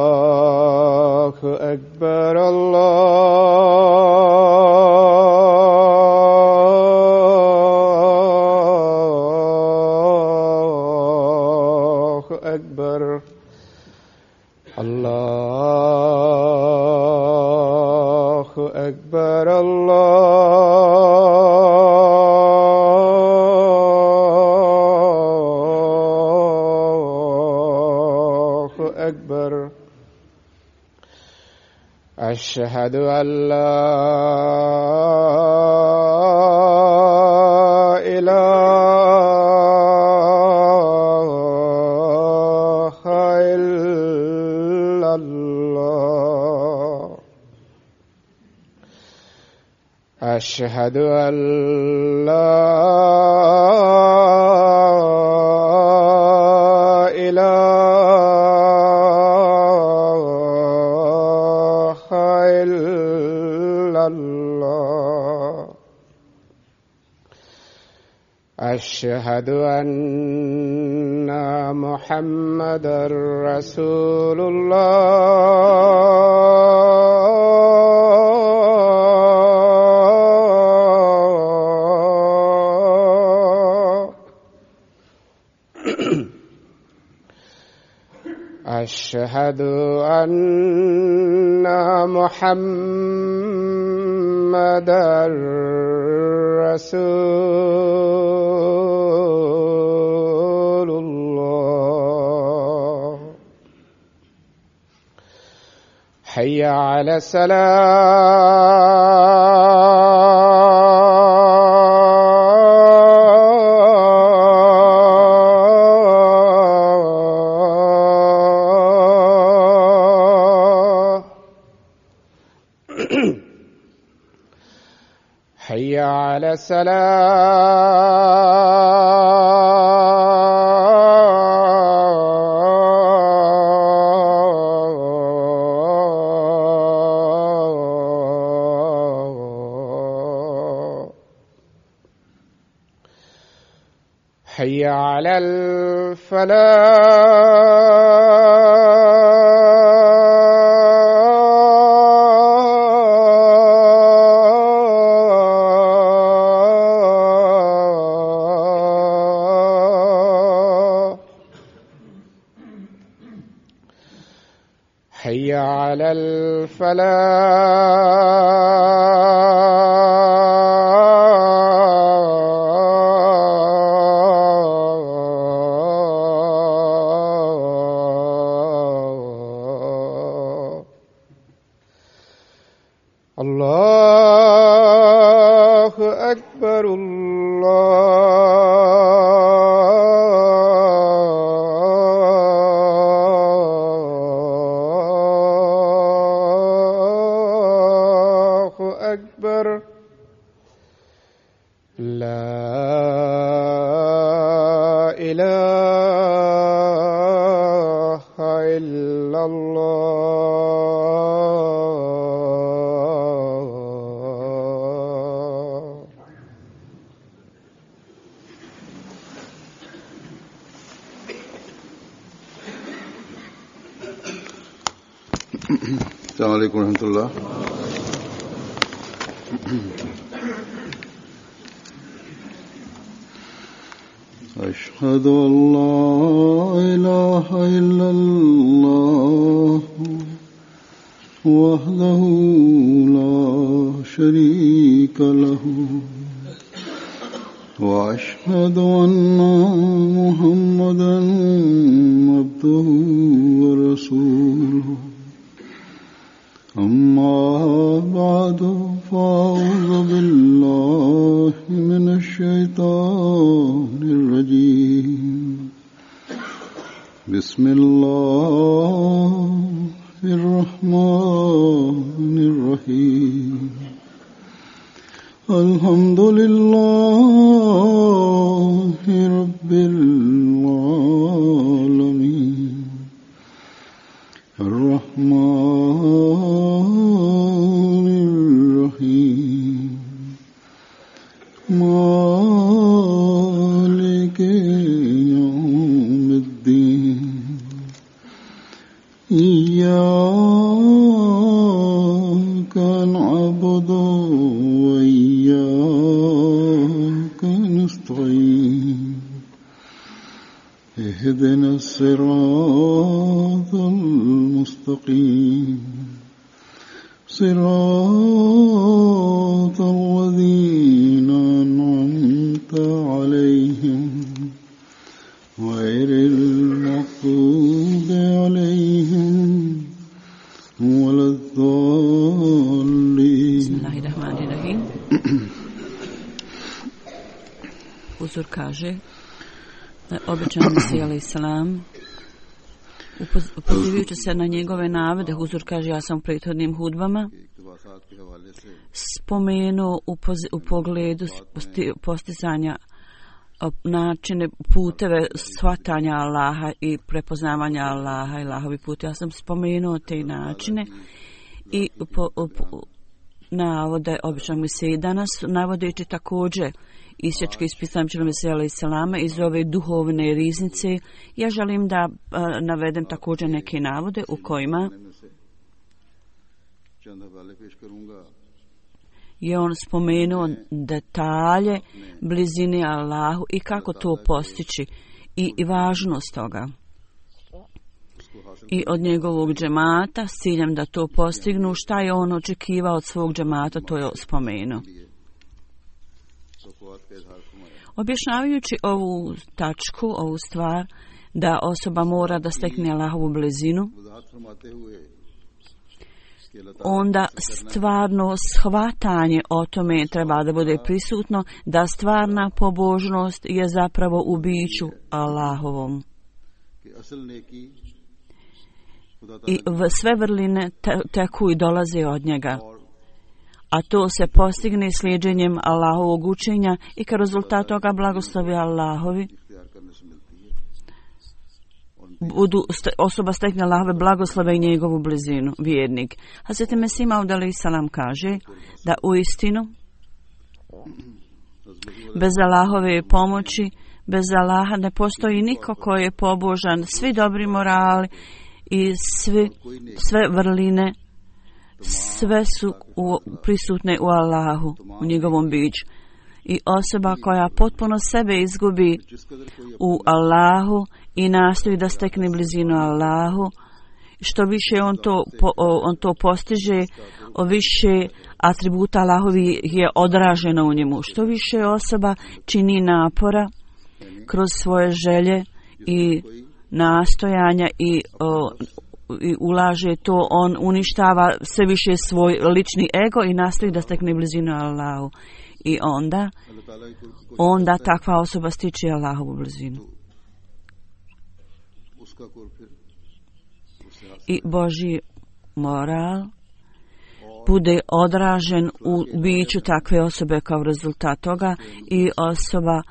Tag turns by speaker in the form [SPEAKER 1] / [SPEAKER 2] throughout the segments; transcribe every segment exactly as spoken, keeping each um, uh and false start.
[SPEAKER 1] الله أكبر الله أكبر الله أكبر أشهد أن لا إله إلا الله أشهد أن لا أشهد أن محمدًا رسول الله أشهد أن محمدًا رسول الله حي على الصلاة حي على الصلاة حي على الفلاح حي على الفلاح الله أكبر الله أكبر لا إله إلا الله
[SPEAKER 2] السلام عليكم ورحمة الله. أشهد أن لا إله إلا الله وحده لا شريك له وأشهد أن محمدًا عبده ورسوله أما بعد فأعوذ بالله من الشيطان الرجيم بسم الله الرحمن الرحيم الحمد لله رب العالمين الرحمن الرحيم مالك يوم الدين إياك نعبد وإياك نستعين اهدنا الصراط المستقيم صراط الذين أنعمت عليهم غير المغضوب عليهم ولا الضالين.
[SPEAKER 3] Bismillahirrahmanirrahim. Uzur kaže da običan Mesija alejhi selam pozivajući se na njegove navode, Huzur kaže, ja sam u prethodnim hudbama spomenuo u, poz- u pogledu posti- postizanja načine, puteve shvatanja Allaha i prepoznavanja Allaha i Allahovi put. Ja sam spomenuo te načine i po, po, navode običnog Mesije danas, navodeći također isječke iz pisama Mesija alejhi selama iz ove duhovne riznice. Ja želim da a, navedem također neke navode u kojima je on spomenuo detalje blizine Allahu i kako to postići i, i važnost toga. I od njegovog džemata s ciljem da to postignu, šta je on očekivao od svog džemata, to je spomenuo. Objašnjavajući ovu tačku, ovu stvar, da osoba mora da stekne Allahovu blizinu, onda stvarno shvatanje o tome treba da bude prisutno, da stvarna pobožnost je zapravo u biću Allahovom. I sve vrline te, teku i dolaze od njega. A to se postigne slijedženjem Allahovog učenja i kao rezultat toga blagoslovi Allahovi budu, osoba stekne Allahove blagoslove i njegovu blizinu, vjernik. Hazret Mesih Maud alejhi selam kaže da u istinu bez Allahove pomoći, bez Allaha ne postoji niko koji je pobožan, svi dobri morali i svi, sve vrline, sve su u, prisutne u Allahu, u njegovom biću. I osoba koja potpuno sebe izgubi u Allahu i nastoji da stekne blizinu Allahu, što više on to, on to postiže, o više atributa Allahovi je odraženo u njemu. Što više osoba čini napora kroz svoje želje i nastojanja i, o, i ulaže to, on uništava sve više svoj lični ego i nastoji da stekne blizinu Allahu. I onda, onda takva osoba stiče Allahovu blizinu. I Božji moral bude odražen u biću takve osobe kao rezultat toga i osoba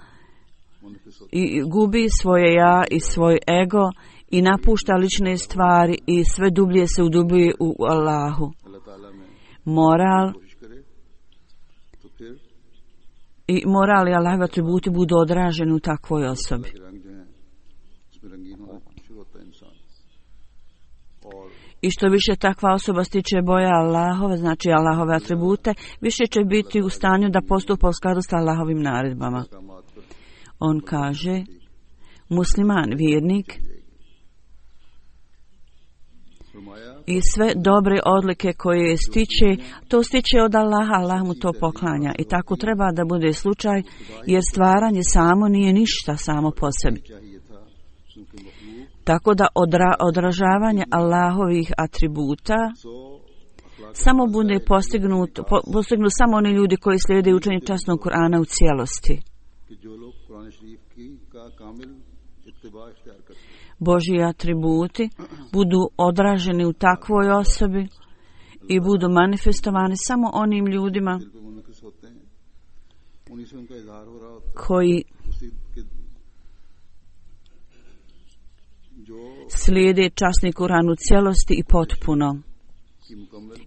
[SPEAKER 3] i gubi svoje ja i svoj ego i napušta lične stvari i sve dublje se udubuje u Allahu. Moral i moral i Allahovi atributi budu odraženi u takvoj osobi. I što više takva osoba stiče boja Allahove, znači Allahove atribute, više će biti u stanju da postupa u skladu s Allahovim naredbama. On kaže, musliman, vjernik, i sve dobre odlike koje stiče, to stiče od Allaha, Allah mu to poklanja. I tako treba da bude slučaj, jer stvaranje samo nije ništa samo po sebi. Tako da odra, odražavanje Allahovih atributa samo bude postignut, po, postignu samo oni ljudi koji slijede učenje časnog Kur'ana u cijelosti. Božji atributi budu odraženi u takvoj osobi i budu manifestovani samo onim ljudima koji slijede časni Kur'an u cijelosti i potpuno.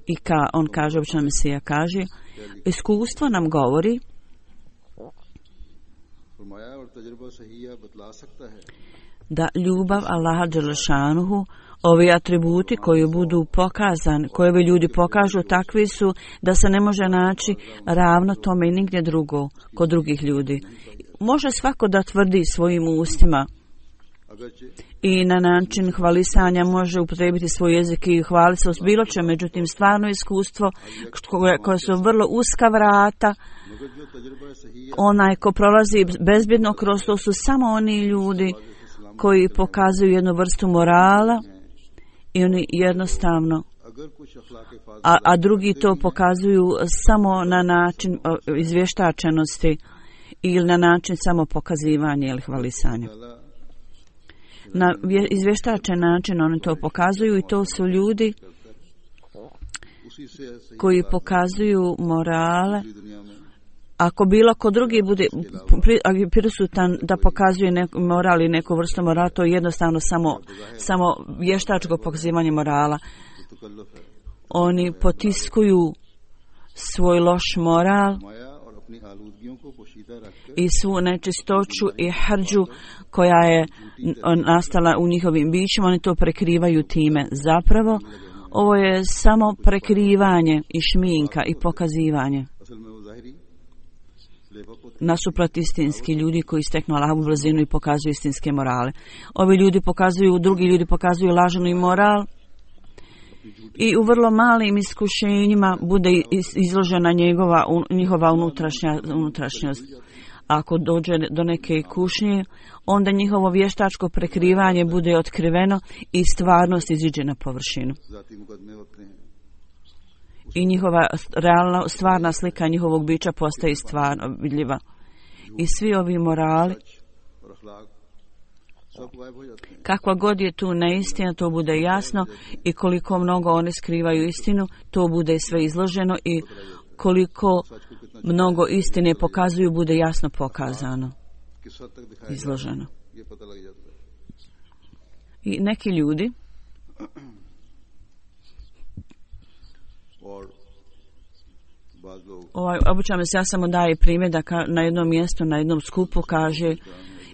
[SPEAKER 3] I ka, on kaže, obično Mesija kaže, iskustvo nam govori
[SPEAKER 2] फरमाया और तजुर्बा सहीया बतला सकता है
[SPEAKER 3] da ljubav Allaha dželešanuhu, ovi atributi koji budu pokazani, koje ovi ljudi pokažu, takvi su da se ne može naći ravno tome i nigdje drugo kod drugih ljudi. Može svako da tvrdi svojim ustima i na način hvalisanja može upotrijebiti svoj jezik i hvaliti se s bilo čem, međutim stvarno iskustvo koje, koje su vrlo uska vrata, onaj ko prolazi bezbjedno kroz to su samo oni ljudi koji pokazuju jednu vrstu morala i oni jednostavno, a, a drugi to pokazuju samo na način izvještačenosti ili na način samo pokazivanja ili hvalisanja. Na izvještačen način oni to pokazuju i to su ljudi koji pokazuju morale. Ako bilo ko drugi bude prisutan da pokazuje neku moral i neku vrstu morala, to je jednostavno samo, samo vještačko pokazivanje morala. Oni potiskuju svoj loš moral i svu nečistoću i hrđu koja je nastala u njihovim bićima, oni to prekrivaju time. Zapravo, ovo je samo prekrivanje i šminka i pokazivanje. Nasuprot istinski ljudi koji steknu Allahovu brzinu i pokazuju istinske morale. Ovi ljudi pokazuju, drugi ljudi pokazuju lažnu moral i u vrlo malim iskušenjima bude izložena njegova, njihova unutrašnja, unutrašnjost. Ako dođe do neke kušnje, onda njihovo vještačko prekrivanje bude otkriveno i stvarnost iziđe na površinu. I njihova realna, stvarna slika njihovog bića postaje stvarno vidljiva. I svi ovi morali, kakva god je tu neistina, to bude jasno i koliko mnogo oni skrivaju istinu, to bude sve izloženo i koliko mnogo istine pokazuju, bude jasno pokazano, izloženo. I neki ljudi ovaj, obično se ja samo daje primjer da ka, na jednom mjestu, na jednom skupu kaže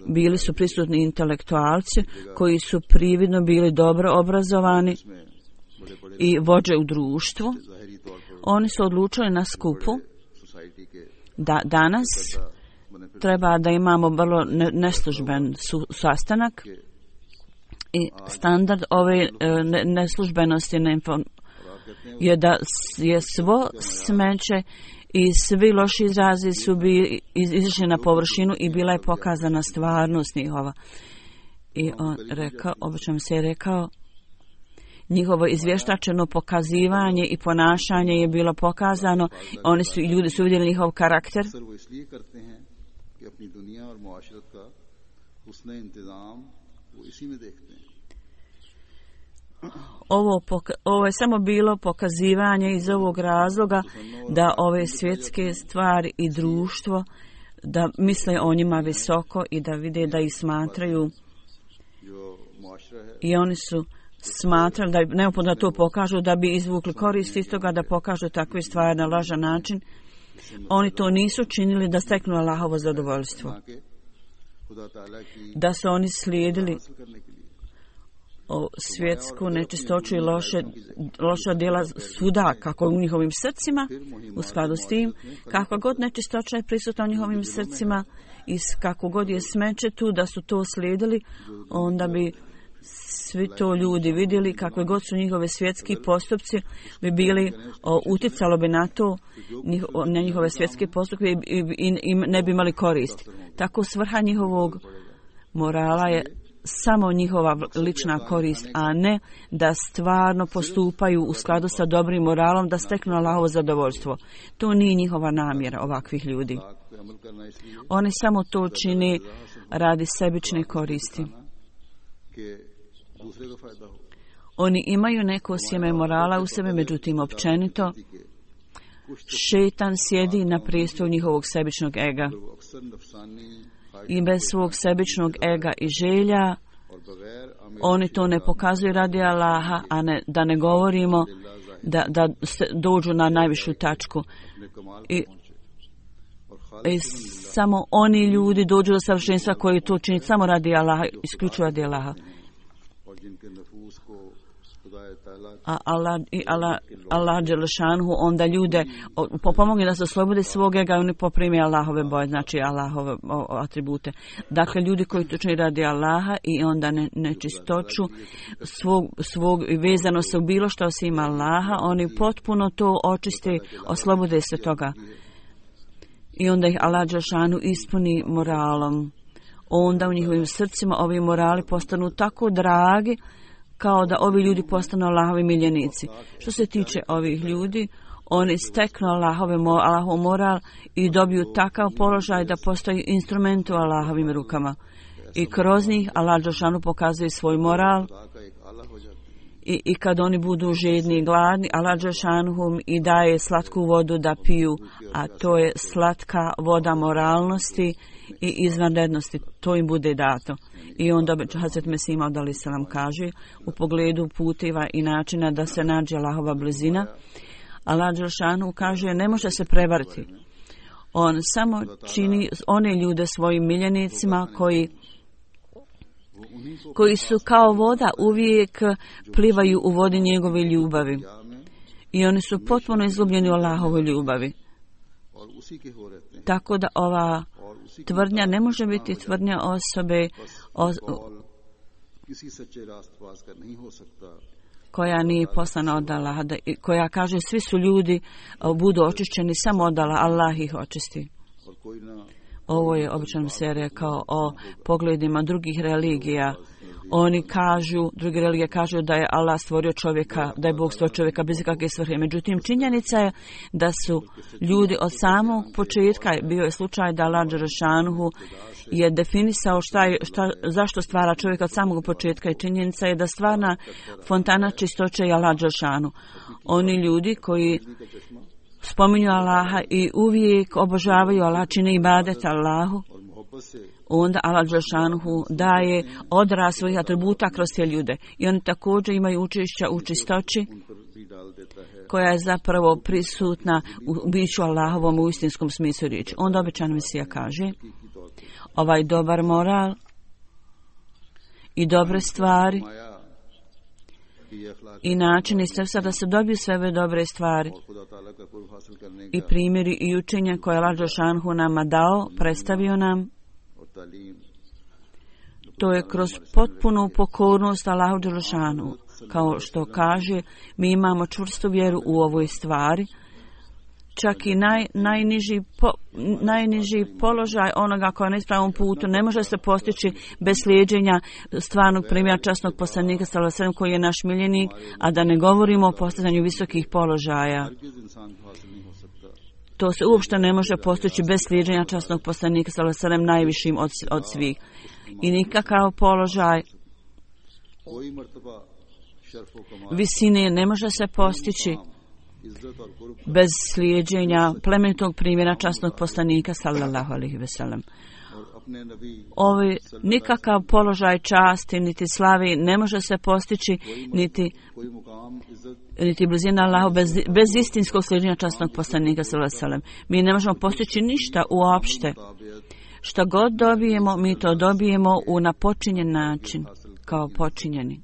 [SPEAKER 3] bili su prisutni intelektualci koji su prividno bili dobro obrazovani i vođe u društvu. Oni su odlučili na skupu da danas treba da imamo vrlo neslužben su, sastanak i standard ove ne, neslužbenosti ne, je da je svo smeće i svi loši izrazi su bili izišli na površinu i bila je pokazana stvarnost njihova. I on rekao, obično se je rekao, njihovo izvještačeno pokazivanje i ponašanje je bilo pokazano, oni su i ljudi su vidjeli njihov karakter. Ovo, poka- ovo je samo bilo pokazivanje iz ovog razloga da ove svjetske stvari i društvo da misle o njima visoko i da vide da ih smatraju i oni su smatrali da je neophodno da to pokažu da bi izvukli korist iz toga da pokažu takve stvari na lažan način. Oni to nisu činili da steknu Allahovo zadovoljstvo. Da su oni slijedili o svjetsku nečistoću i loše, loša djela svuda, kako u njihovim srcima, u skladu s tim, kakva god nečistoća je prisutna u njihovim srcima i kako god je smeće tu, da su to slijedili, onda bi svi to ljudi vidjeli, kakve god su njihove svjetski postupci, bi bili, o, uticalo bi na to, njiho, na njihove svjetske postupke i, i, i, i ne bi imali korist. Tako svrha njihovog morala je samo njihova lična korist, a ne da stvarno postupaju u skladu sa dobrim moralom, da steknu Allahovo zadovoljstvo. To nije njihova namjera ovakvih ljudi. Oni samo to čini radi sebične koristi. Oni imaju neko sjeme morala u sebi, međutim općenito šejtan sjedi na prijestolju njihovog sebičnog ega. I bez svog sebičnog ega i želja oni to ne pokazuju radi Allaha, a ne, da ne govorimo da, da dođu na najvišu tačku. I i samo oni ljudi dođu do savršenstva koji to čini samo radi Allaha, isključivo radi Allaha. A Allah i Allah, Allah dželešanhu onda ljude pomogne da se oslobode svog ega i oni poprime Allahove boje, znači Allahove o, o, atribute. Dakle, ljudi koji to čini radi Allaha i onda ne, nečistoću svog, svog vezano se u bilo što osim Allaha, oni potpuno to očiste, oslobode se toga. I onda ih Allah dželešanhu ispuni moralom. Onda u njihovim srcima ovi morali postanu tako dragi kao da ovi ljudi postanu Allahovi miljenici. Što se tiče ovih ljudi, oni steknu Allahove, Allahov moral i dobiju takav položaj da postoji instrument u Allahovim rukama. I kroz njih Allah dželešanu pokazuje svoj moral. I, I kad oni budu žedni i gladni, Allah dželešanu i daje slatku vodu da piju, a to je slatka voda moralnosti i izvanrednosti. To im bude dato. I onda Hazret Mesih Maud alejhi selam kaže u pogledu puteva i načina da se nađe Allahova blizina. Allah dželešanu kaže ne može se prevariti. On samo čini one ljude svojim miljenicima koji koji su kao voda uvijek plivaju u vodi njegove ljubavi. I oni su potpuno izgubljeni u Allahovoj ljubavi. Tako da ova tvrdnja ne može biti tvrdnja osobe o, koja nije poslana od Allaha, koja kaže svi su ljudi budu očišćeni samo od Allaha, Allah ih očisti. Ovo je obično se rekao o pogledima drugih religija. Oni kažu, druge religije kažu da je Allah stvorio čovjeka, da je Bog stvorio čovjeka bez ikakve svrhe. Međutim, činjenica je da su ljudi od samog početka, bio je slučaj da Allah dželešanu je definisao šta je, šta, zašto stvara čovjeka od samog početka i činjenica je da stvarna fontana čistoće je Allah dželešanu. Oni ljudi koji spominju Allaha i uvijek obožavaju Allah, čine ibadet Allahu, onda Allah dželešanu daje odraz svojih atributa kroz te ljude. I oni također imaju učešća u čistoći koja je zapravo prisutna u biću Allahovom u istinskom smislu riječi. Onda obećan Mesija kaže ovaj dobar moral i dobre stvari i način i sredstva da se dobiju sve ove dobre stvari i primjeri i učenja koje Allah dželešanu nama dao, predstavio nam, to je kroz potpunu pokornost Allahu dželešanu. Kao što kaže, mi imamo čvrstu vjeru u ovoj stvari. Čak i naj, najniži, po, najniži položaj onoga koja je na ispravnom putu ne može se postići bez slijeđenja stvarnog primjera časnog poslanika sallallahu alejhi ve sellem koji je naš miljenik, a da ne govorimo o postizanju visokih položaja. To se uopšte ne može postići bez slijeđenja časnog poslanika sallallahu alejhi ve sellem najvišim od, od svih. I nikakav položaj visine ne može se postići bez slijeđenja plemenitog primjera časnog poslanika sallallahu alejhi ve sellem. Ovi nikakav položaj časti niti slavi ne može se postići niti niti blizina Allahu bez, bez istinskog slijeđenja časnog poslanika sallallahu alejhi ve sellem. Mi ne možemo postići ništa uopšte. Šta god dobijemo, mi to dobijemo u napočinjen način, kao počinjeni.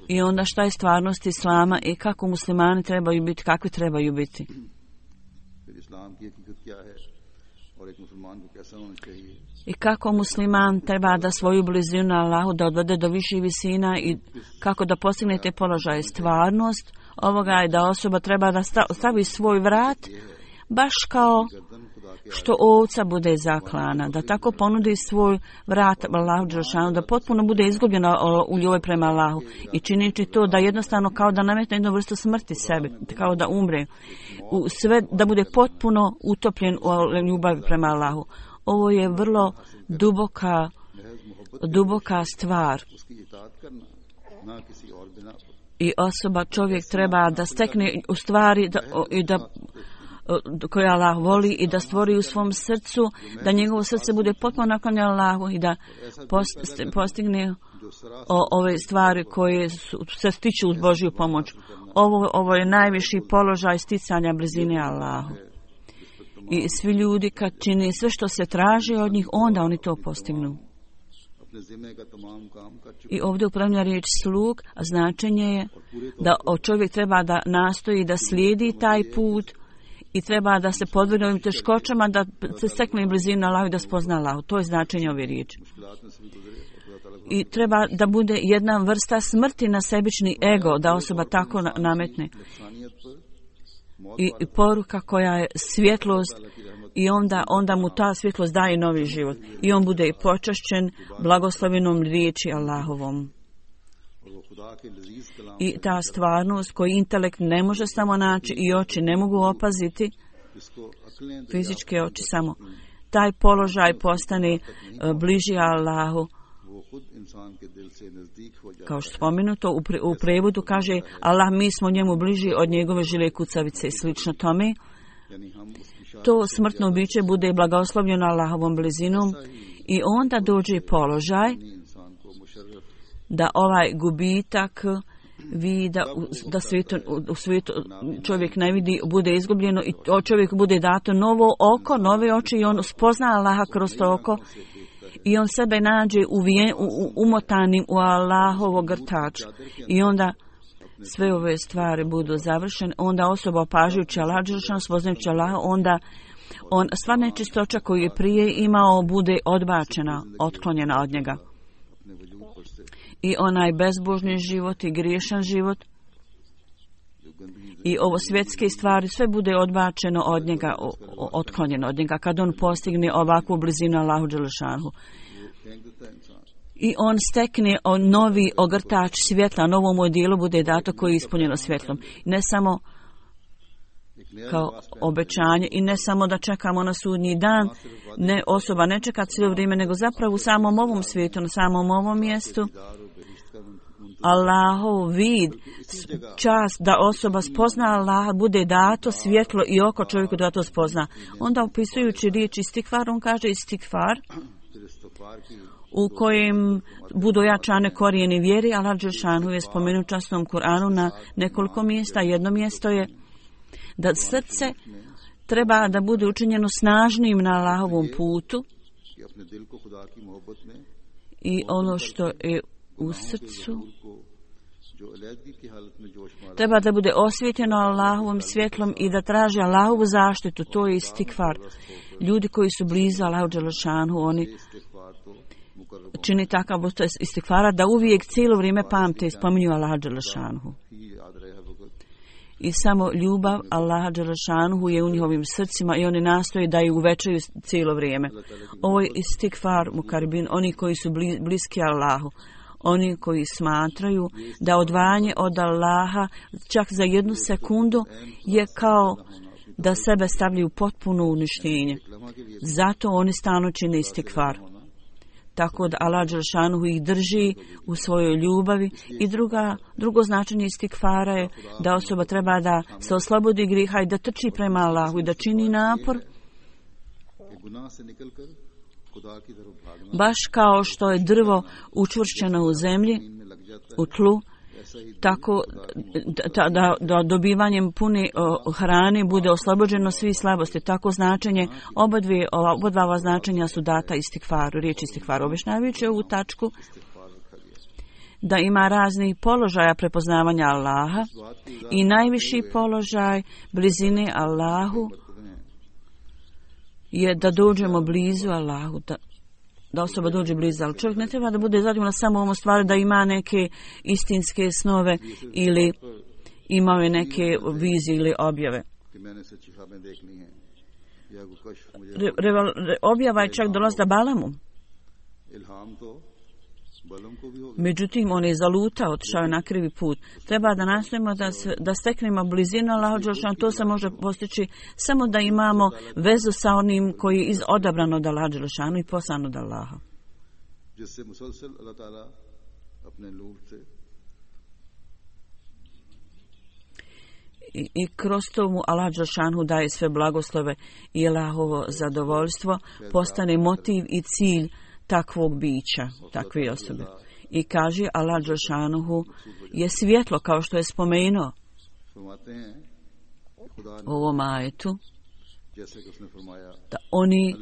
[SPEAKER 3] I onda šta je stvarnost Islama i kako muslimani trebaju biti, kakvi trebaju biti. I kako musliman treba da svoju blizinu na Allahu da odvede do viših visina i kako da postigne te položaje. Stvarnost ovoga je da osoba treba da stavi svoj vrat baš kao što ovca bude zaklana, da tako ponudi svoj vrat Allahu dželešanu, da potpuno bude izgubljena u ljubavi prema Allahu i činići to da jednostavno kao da nametne jednu vrstu smrti sebi, kao da umre, u sve da bude potpuno utopljen u ljubavi prema Allahu. Ovo je vrlo duboka, duboka stvar. I osoba, čovjek treba da stekne u stvari da, i da koje Allah voli i da stvori u svom srcu, da njegovo srce bude potpuno naklonjeno Allahu i da postigne o, ove stvari koje su, se stiču uz Božju pomoć. Ovo, ovo je najviši položaj sticanja blizine Allahu. I svi ljudi kad čini sve što se traži od njih, onda oni to postignu. I ovdje upravlja riječ slug, a značenje je da čovjek treba da nastoji da slijedi taj put i treba da se podvrgne ovim teškoćama, da se stekne blizinu Allahu i da spozna Allahu. To je značenje ove riječi. I treba da bude jedna vrsta smrti na sebični ego, da osoba tako nametne. I, i poruka koja je svjetlost i onda, onda mu ta svjetlost daje novi život. I on bude i počašćen blagoslovenom riječi Allahovom. I ta stvarnost koju intelekt ne može samo naći i oči ne mogu opaziti, fizičke oči samo, taj položaj postane bliži Allahu. Kao što spomenuto u, pre, u prevodu kaže Allah, mi smo njemu bliži od njegove žile kucavice i slično tome. To smrtno biće bude blagoslovljeno Allahovom blizinom i onda dođe položaj da ovaj gubitak vida da svijetu, u svijetu čovjek ne vidi, bude izgubljeno i čovjek bude dato novo oko, nove oči i on spozna Allaha kroz to oko i on sebe nađe uvijen, u, u, umotanim u Allahovo grtač i onda sve ove stvari budu završene, onda osoba opažujući Allah, spoznajući Allah, onda on, sva nečistoća koju je prije imao bude odbačena, otklonjena od njega. I onaj bezbožni život i griješan život i ovo svjetske stvari, sve bude odbačeno od njega, otklonjeno od njega, kad on postigne ovakvu blizinu Allahu dželešanhu. I on stekne on novi ogrtač svjetla, novom odijelu bude dato koji je ispunjeno svjetlom. Ne samo kao obećanje i ne samo da čekamo na sudnji dan, ne, osoba ne čeka cijelo vrijeme, nego zapravo u samom ovom svijetu, na samom ovom mjestu, Allahov vid, čast da osoba spozna Allaha, bude dato svjetlo i oko čovjeku da to spozna. Onda opisujući riječ istikfar, on kaže istikfar, u kojem budu jačane korijeni vjeri. Allah dželešanu je spomenuo u časnom Kur'anu na nekoliko mjesta. Jedno mjesto je da srce treba da bude učinjeno snažnim na Allahovom putu i ono što je u srcu treba da bude osvjetljeno Allahovom svjetlom i da traži Allahovu zaštitu. To je istikfar. Ljudi koji su blizu Allahu dželešanu, oni čini takav istikfara da uvijek cijelo vrijeme pamte i spominju Allaha dželešanu. I samo ljubav Allaha dželešanu je u njihovim srcima i oni nastoje da ju uvećaju cijelo vrijeme. Ovo je istikfar mukaribin, oni koji su bliski Allahu, oni koji smatraju da odvajanje od Allaha čak za jednu sekundu je kao da sebe stavljaju potpuno uništenje. Zato oni stalno čine istikfar. Tako da Allah dželešanu ih drži u svojoj ljubavi. I druga, drugo značenje istikfara je da osoba treba da se oslobodi griha i da trči prema Allahu i da čini napor. Baš kao što je drvo učvršćeno u zemlji, u tlu, tako da, da, da dobivanjem pune o, hrane bude oslobođeno svi slabosti. Tako značenje, oba dvije, oba dva ova značenja su data istikfaru, riječ istikfaru. Objašnjavajući ovu tačku da ima raznih položaja prepoznavanja Allaha i najviši položaj blizine Allahu je da dođemo blizu Allahu, da, da osoba dođe blizu, ali čovjek ne treba da bude zadovoljan samo ovom stvari da ima neke istinske snove ili imao neke vizije ili objave. Re, re, re, objava je čak dolazda Balamu. Međutim, on je zalutao, otišao je na krivi put. Treba da nastojimo da, se, da steknemo blizinu Allahu dželešanu. To se može postići samo da imamo vezu sa onim koji je odabran od Allaha dželešanu i poslan od Allaha. I, i kroz to mu Allah dželešanu daje sve blagoslove i Allahovo zadovoljstvo postane motiv i cilj takvog bića, takve osobe. I kaže Allah dželšanuhu je svjetlo, kao što je spomenuo u ovom ajetu, da oni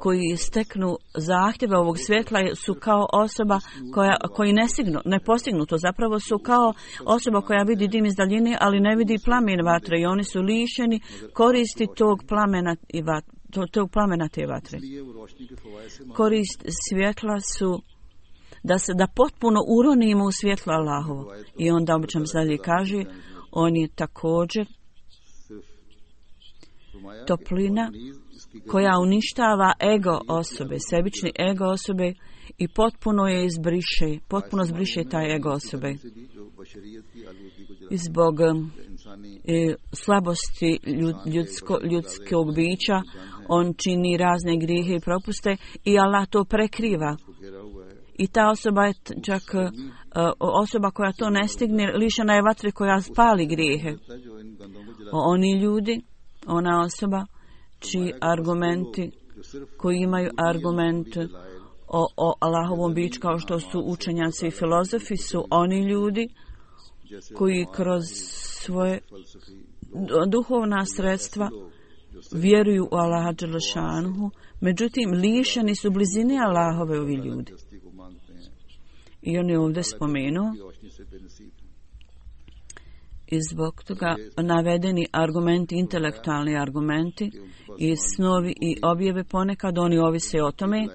[SPEAKER 3] koji steknu zahtjeve ovog svjetla su kao osoba koja, koji ne, signu, ne postignu to. Zapravo su kao osoba koja vidi dim iz daljine, ali ne vidi plamen vatre i oni su lišeni koristi tog plamena, i vat, tog plamena te vatre. Korist svjetla su da se da potpuno uronimo u svjetlo Allahovo. I onda obično dalje kaže, on je također toplina koja uništava ego osobe, sebični ego osobe i potpuno je izbriše, potpuno zbriše taj ego osobe. I zbog e, slabosti ljudsko, ljudskog bića on čini razne grijehe i propuste i Allah to prekriva. I ta osoba je čak uh, osoba koja to ne stigne, lišena je vatre koja spali grijehe. Oni ljudi, ona osoba čiji argumenti, koji imaju argument o, o Allahovom biću kao što su učenjaci i filozofi, su oni ljudi koji kroz svoje duhovna sredstva vjeruju u Allaha dželešanuhu, međutim lišeni su blizine Allahove ovi ljudi. I on je ovdje spomenuo i zbog toga navedeni argumenti, intelektualni argumenti i snovi i objave ponekad oni ovise o tome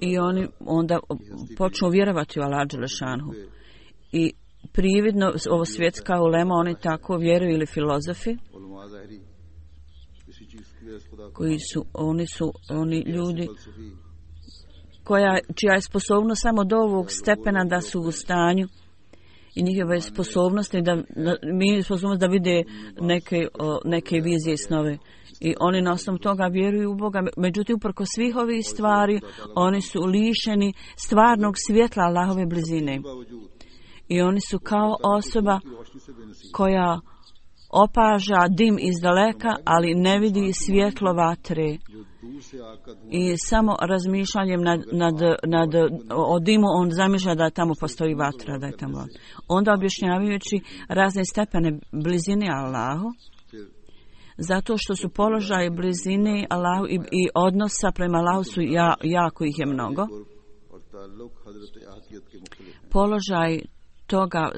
[SPEAKER 3] i oni onda počnu vjerovati u Allah dželešanuhu. I prividno ovo svjetska ulema, oni tako vjeruju, ili filozofi koji su, oni su oni ljudi koja, čija je sposobnost samo do ovog stepena da su u stanju i njihove sposobnosti da, da mi sposobnost da vide neke, o, neke vizije i snove. I oni na osnovu toga vjeruju u Boga. Međutim, uprko svih ovih stvari, oni su lišeni stvarnog svjetla Allahove blizine. I oni su kao osoba koja opaža dim iz daleka, ali ne vidi svjetlo vatre. I samo razmišljanjem nad, nad, nad, o dimu on zamišlja da tamo postoji vatra, da je tamo vatra. Onda objašnjavajući razne stepene blizine Allahu, zato što su položaje blizine Allahu i, i odnosa prema Allahu su ja, jako ih je mnogo. Položaj toga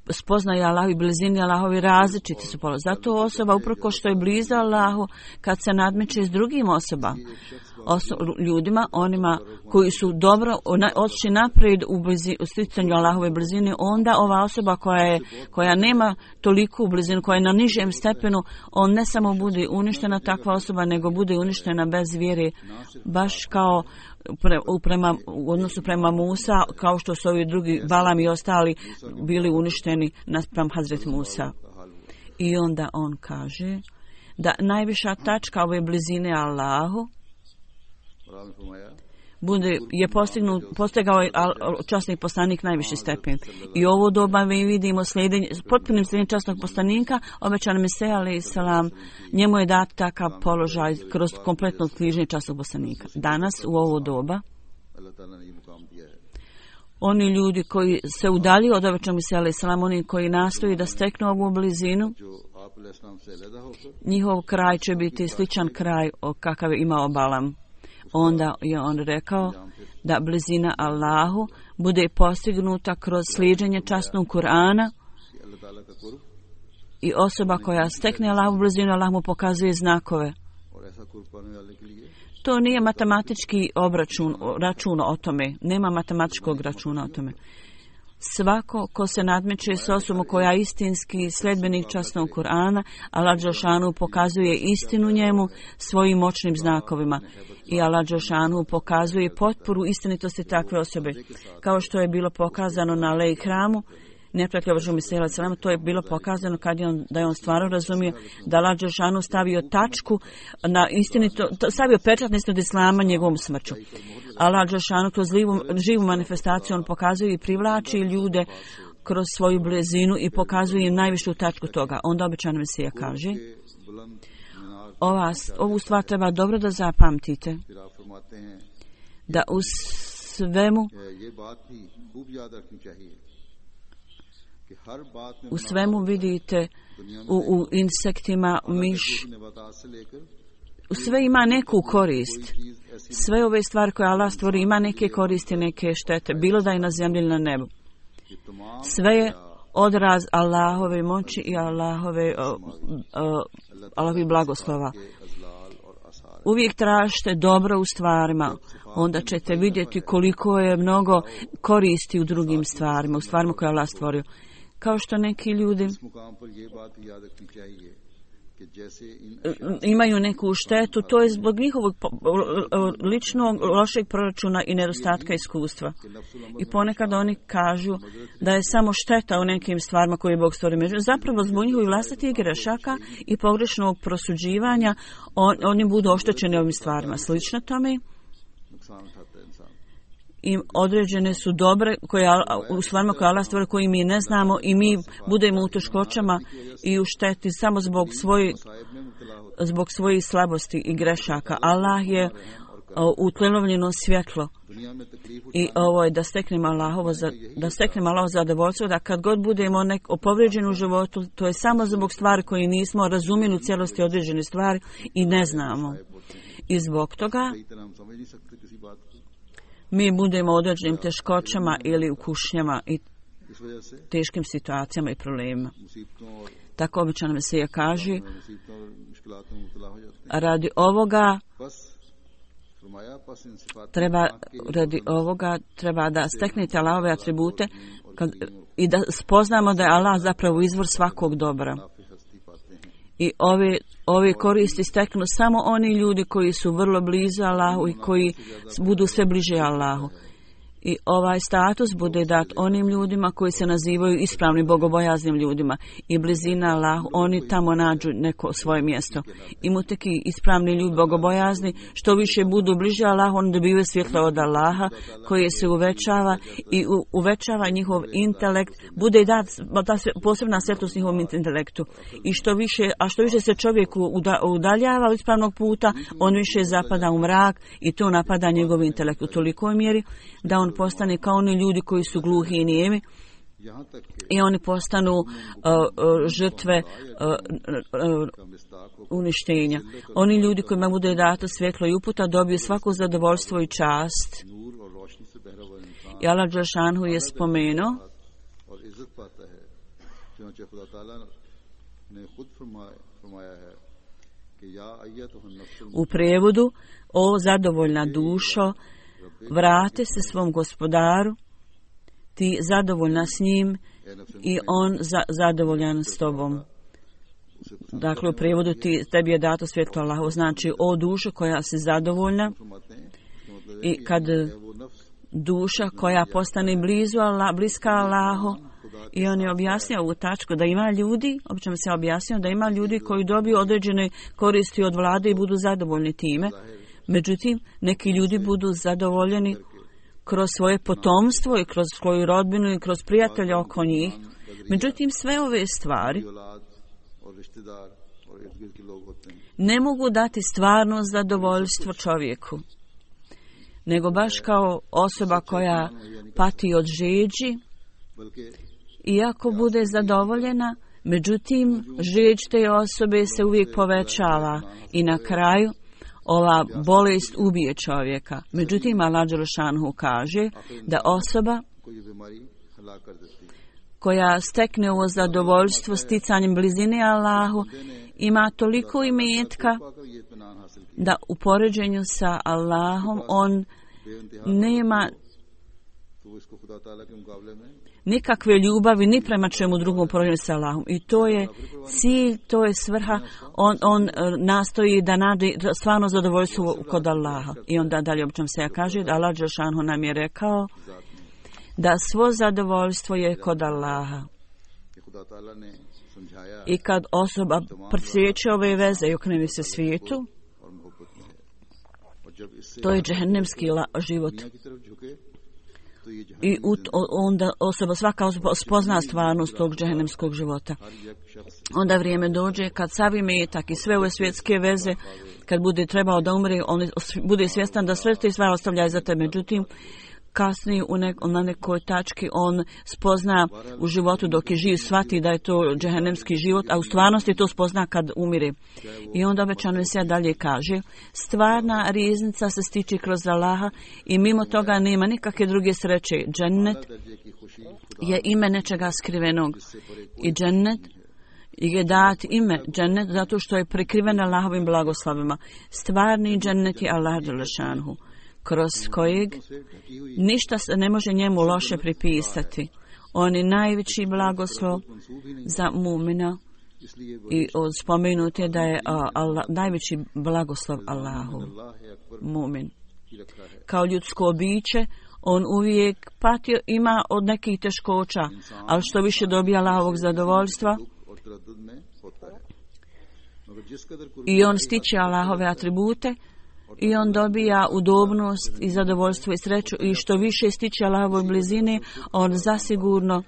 [SPEAKER 3] spoznaje Allahu i blizini Allahovi različiti su položaj. Zato osoba uprko što je bliza Allahu, kad se nadmeće s drugim osoba, oso, ljudima, onima koji su dobro otišli naprijed u, blizi, u sticanju Allahove blizine, onda ova osoba koja, je, koja nema toliku blizinu, koja je na nižem stepenu, on ne samo bude uništena takva osoba, nego bude uništena bez vjere, baš kao Pre, prema, u odnosu prema Musa, kao što su ovi drugi Balam i ostali bili uništeni naspram Hazret Musa. I onda on kaže da najviša tačka ove blizine Allahu bude, je postignut, postigao je časni poslanik najviši stepen. I ovo doba mi vidimo slijedenje, potpunim slijednjem časnog poslanika, obećan Mesija alejhi selam, njemu je dat takav položaj kroz kompletno sliženje časnog poslanika. Danas, u ovo doba, oni ljudi koji se udaljuju od obećanog Mesija alejhi selam, oni koji nastoji da steknu ovu blizinu, njihov kraj će biti sličan kraj o kakav je imao Balam. Onda je on rekao da blizina Allahu bude postignuta kroz slijeđenje časnog Kur'ana i osoba koja stekne Allahu blizinu, Allah mu pokazuje znakove. To nije matematički obračun, račun o tome. Nema matematičkog računa o tome. Svako ko se nadmeće s osobom koja je istinski sledbenik časnog Kur'ana, Allah dželešanu pokazuje istinu njemu svojim moćnim znakovima. I Allah dželešanu pokazuje potporu istinitosti takve osobe. Kao što je bilo pokazano na Alej hramu, neprijatelj Božjeg Mesija alejhi selam, to je bilo pokazano kad je on, da je on stvarno razumio da Allah dželešanu stavio tačku na istinito, stavio pečat na istinitost islama njegovom smrću. Allah dželešanu kroz živu, živu manifestaciju on pokazuje i privlači ljude kroz svoju blizinu i pokazuje im najvišu tačku toga. Onda obećan Mesija kaže, ova, ovu stvar treba dobro da zapamtite.
[SPEAKER 2] फिर आप फरमाते हैं
[SPEAKER 3] Da u svemu,
[SPEAKER 2] कि ये बात भी खूब याद रखनी चाहिए कि हर बात में
[SPEAKER 3] u svemu vidite u, u insektima, miš,
[SPEAKER 2] नबातात से लेकर
[SPEAKER 3] u sve ima neku korist.
[SPEAKER 2] चीज ऐसी
[SPEAKER 3] Sve ove stvari koje Allah stvori ima neke koristi, neke štete, bilo da je na zemlji ili na nebu.
[SPEAKER 2] कि तमाम
[SPEAKER 3] Sve je odraz Allahove moći i Allahove, uh, uh, Allahovi blagoslova.
[SPEAKER 2] के अजलाल और आसार
[SPEAKER 3] Uvijek tražite dobro u stvarima, onda ćete vidjeti koliko je mnogo koristi u drugim stvarima, u stvarima koje je Allah stvorio. Kao što neki ljudi
[SPEAKER 2] इस मुकाम पर ये बात भी याद रखनी चाहिए कि जैसे इन
[SPEAKER 3] imaju neku štetu, to je zbog njihovog po- ličnog lošeg proračuna i nedostatka iskustva. I ponekad oni kažu da je samo šteta u nekim stvarima koje je Bog stvorio. Međutim, zapravo zbog njihovih vlastitih grešaka i pogrešnog prosuđivanja on, oni budu oštećeni ovim stvarima. Slično tome
[SPEAKER 2] नुकसान उठाता है इंसान
[SPEAKER 3] i određene su dobre koje, Al- u stvarima koje Allah stvori, koji mi ne znamo i mi budemo u teškoćama i u šteti samo zbog svojih
[SPEAKER 2] Sahib में मुब्तला होता
[SPEAKER 3] zbog svojih slabosti i grešaka. Allah je o, utlenovljeno svjetlo
[SPEAKER 2] है दुनिया में तकलीफ
[SPEAKER 3] i ovo je da steknemo Allahovo, za, da steknemo Allahovo zadovoljstvo, da kad god budemo nek povrijeđeni u životu, to je samo zbog stvari koje nismo razumjeli u cijelosti određene stvari i ne znamo. I zbog toga
[SPEAKER 2] कई तरह हम समझ नहीं सकते किसी बात को
[SPEAKER 3] mi budemo u određenim teškoćama ili u kušnjama i
[SPEAKER 2] इस वजह से
[SPEAKER 3] teškim situacijama i problemima.
[SPEAKER 2] मुसीबतों और
[SPEAKER 3] Tako običan Mesija kaže,
[SPEAKER 2] मुसीबतों और मुश्किलात में मुब्तला हो जाते हैं
[SPEAKER 3] radi ovoga
[SPEAKER 2] बस फरमाया बस इन सिफात
[SPEAKER 3] treba, radi ovoga treba da steknete Allahove atribute kad, i da spoznamo da je Allah zapravo izvor svakog dobra.
[SPEAKER 2] काफी हस्ती पाते हैं
[SPEAKER 3] I ove, ove koristi steknu samo oni ljudi koji su vrlo blizu Allahu i koji budu sve bliže Allahu. I ovaj status bude dat onim ljudima koji se nazivaju ispravnim bogobojaznim ljudima i blizina Allahu, oni tamo nađu neko svoje mjesto. I muteki ispravni ljudi bogobojazni, što više budu bliže Allahu, oni dobivaju svjetlo od Allaha koje se uvećava i u, uvećava njihov intelekt, bude dat ta se- posebna svjetlost njihovom intelektu. I što više, a što više se čovjeku uda, udaljava od ispravnog puta, on više zapada u mrak i to napada njegov intelekt u tolikoj mjeri da on postane kao oni ljudi koji su gluhi i nijemi
[SPEAKER 2] यहाँ तक कि
[SPEAKER 3] i oni postanu uh, uh, žrtve uh, uh,
[SPEAKER 2] का मिस्ताक हो
[SPEAKER 3] uništenja. Oni ljudi kojima bude dato svjetlo i uputa dobiju svako zadovoljstvo i čast.
[SPEAKER 2] नूर और रोशनी से बहरा हुआ इंसान
[SPEAKER 3] I Allah Đelšanhu je spomenuo
[SPEAKER 2] और इज्जत पाता है चुनांचे खुदा ताला ने खुद फरमाया फरमाया है कि या अय्यतुहन नफ्सुल
[SPEAKER 3] u prijevodu: o zadovoljna dušo, vrate se svom gospodaru, ti zadovoljna s njim
[SPEAKER 2] ए नफ्स
[SPEAKER 3] i on za, zadovoljan s tobom. Dakle, u prijevodu ti, tebi je dato svjetlo Allahu, znači o dušo koja si zadovoljna
[SPEAKER 2] फरमाते हैं कि मतलब
[SPEAKER 3] i kad
[SPEAKER 2] है वो नफ्स
[SPEAKER 3] duša koja postane blizu Allah, bliska Allahu. I on je objasnio ovu tačku da ima ljudi, obično se objasnio da ima ljudi koji dobiju određene koristi od vlade i budu zadovoljni time. Međutim, neki ljudi budu zadovoljeni kroz svoje potomstvo i kroz svoju rodbinu i kroz prijatelja oko njih. Međutim, sve ove stvari
[SPEAKER 2] औलाद और रिश्तेदार और इर्द गिर्द के लोग होते हैं
[SPEAKER 3] ne mogu dati stvarno zadovoljstvo čovjeku, nego baš kao osoba koja pati od žeđi,
[SPEAKER 2] बल्कि
[SPEAKER 3] iako bude zadovoljena, međutim, žeđ te osobe se uvijek povećava i na kraju ova bolest ubije čovjeka. Međutim, Allah Đelšanhu kaže da osoba
[SPEAKER 2] कोई ये बीमारी हलाक कर देती है
[SPEAKER 3] koja stekne ovo zadovoljstvo sticanjem blizine Allahu ima toliko imetka
[SPEAKER 2] पाकर ये इत्मीनान हासिल किया
[SPEAKER 3] da u poređenju sa Allahom on
[SPEAKER 2] बेइंतहा
[SPEAKER 3] nema
[SPEAKER 2] तो वो इसको खुदा ताला के मुकाबले में
[SPEAKER 3] nikakve ljubavi ni prema čemu drugom poređenju sa Allahom. I to je cilj, to je svrha. On, on e, nastoji da nađe stvarno zadovoljstvo kod Allaha. I onda dalje obično se ja kaže da Allah Đelšanhu nam je rekao da svo zadovoljstvo je kod Allaha.
[SPEAKER 2] कि खुदा ताला ने समझाया
[SPEAKER 3] I kad osoba presjeće ove veze i okrene se svijetu,
[SPEAKER 2] और मोहब्बत में है और जब इससे
[SPEAKER 3] to je džehennemski la- život.
[SPEAKER 2] दुनिया की तरफ झुके
[SPEAKER 3] i onda osoba, svaka osoba spozna stvarnost tog džehennemskog života. Onda vrijeme dođe kad sav imetak i sve ove svjetske veze, kad bude trebao da umre, on bude svjestan da sve te stvari ostavlja iza tebe. Međutim, kasnije u nek, na nekoj tački on spozna u životu dok je živ, shvati da je to džehennemski život, a u stvarnosti to spozna kad umire. I onda obećano se dalje kaže, stvarna riznica se stiče kroz Allaha i mimo toga nema nikakve druge sreće. Džennet je ime nečega skrivenog i džennet je dat ime džennet zato što je prikriven Allahovim blagoslovima. Stvarni džennet je Allah dželešanhu, kroz kojeg ništa se ne može njemu loše pripisati. On je najveći blagoslov za mumina i spomenut je da je Allah, najveći blagoslov Allahu mumin. Kao ljudsko biće, on uvijek patio, ima od nekih teškoća, ali što više dobija Allahovog zadovoljstva i on stiče Allahove atribute, i on dobija udobnost i zadovoljstvo i sreću i što više stiče Allahovoj blizini, on zasigurno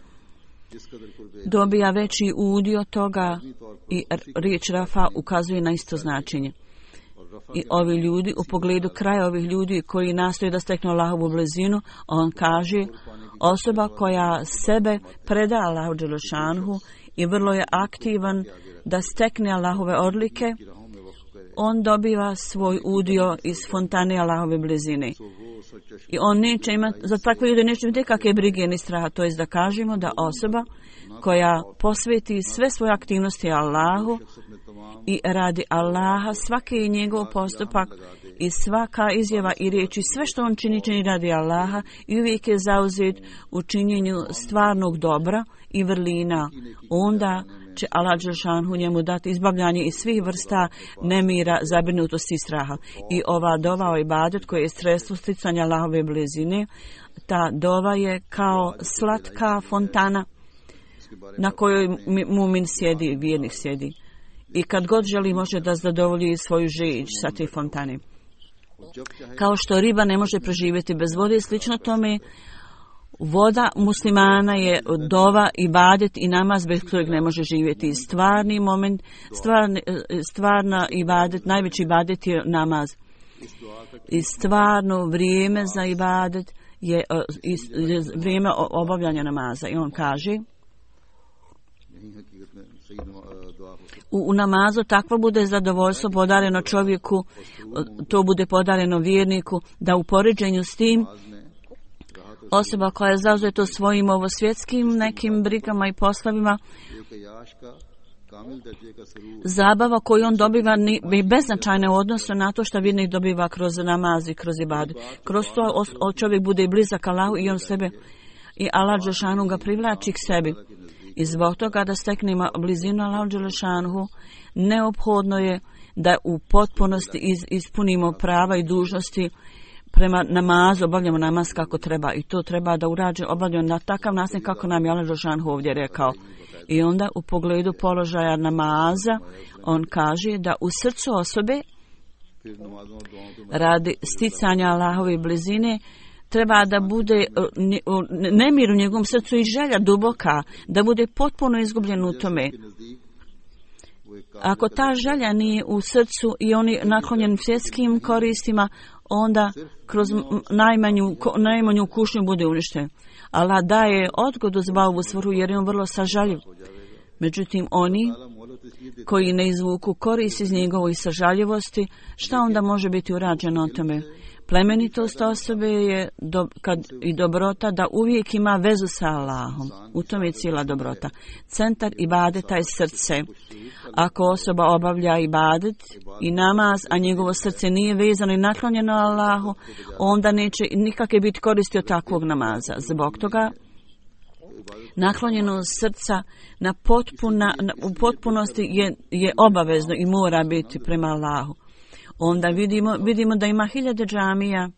[SPEAKER 3] dobija veći udio toga i riječ Rafa ukazuje na isto značenje. I ovi ljudi, u pogledu kraja ovih ljudi koji nastoje da steknu Allahovu blizinu, on kaže, osoba koja sebe preda Allahu dželešanhu i vrlo je aktivan da stekne Allahove odlike, on dobiva svoj udio iz fontane Allahove blizine. I on neće imati, za takve ljude neće imati kakve brige ni straha. To je da kažemo da osoba koja posveti sve svoje aktivnosti Allahu i radi Allaha, svaki njegov postupak i svaka izjava i riječi, sve što on čini, čini radi Allaha i uvijek je zauzet u činjenju stvarnog dobra i vrlina. Onda će Allah dželešanhu njemu dati izbavljanje iz svih vrsta nemira, zabrinutosti i straha. I ova dova o ibadet koje je sredstvo sticanja Allahove blizine, ta dova je kao slatka fontana na kojoj mumin sjedi, vjernik sjedi. I kad god želi može da zadovolji svoju žeđ sa te fontane. Kao što riba ne može preživjeti bez vode, slično tome voda muslimana je dova, ibadet i namaz bez kojeg ne može živjeti. Stvarni moment, stvarni, stvarna ibadet, najveći ibadet je namaz. I stvarno vrijeme za ibadet je, je vrijeme obavljanja namaza. I on kaže, u, u namazu takvo bude zadovoljstvo podareno čovjeku, to bude podareno vjerniku, da u poređenju s tim osoba koja je zauzeta svojim ovosvjetskim nekim brigama i poslovima, zabava koju on dobiva je beznačajna u odnosu na to što vjernik dobiva kroz namaz i kroz ibadet. Kroz to čovjek bude blizak Allahu i on sebe i Allah dželešanhu ga privlači k sebi. I zbog toga da steknemo blizinu Allahu dželešanhu, neophodno je da u potpunosti iz, ispunimo prava i dužnosti prema namazu, obavljamo namaz kako treba i to treba da urađe obavljamo na takav način kako nam je Allah dželešanhu ovdje rekao. I onda u pogledu položaja namaza on kaže da u srcu osobe radi sticanja Allahove blizine treba da bude nemir u njegovom srcu i želja duboka, da bude potpuno izgubljen u tome. Ako ta želja nije u srcu i on je naklonjen svjetskim koristima, onda kroz najmanju, najmanju kušnju bude uništen. Allah daje odgodu za ovu svrhu jer je on vrlo sažaljiv. Međutim, oni koji ne izvuku korist iz njegove sažaljivosti, šta onda može biti urađeno o tome? Plemenitost osobe je do, kad, i dobrota da uvijek ima vezu sa Allahom. U tome je cijela dobrota. Centar ibadeta je srce. Ako osoba obavlja ibadet i namaz, a njegovo srce nije vezano i naklonjeno Allahu, onda neće nikakve biti koristi od takvog namaza. Zbog toga naklonjeno srca na potpuna, na, u potpunosti je, je obavezno i mora biti prema Allahu. Onda vidimo, vidimo da ima hiljade džamija,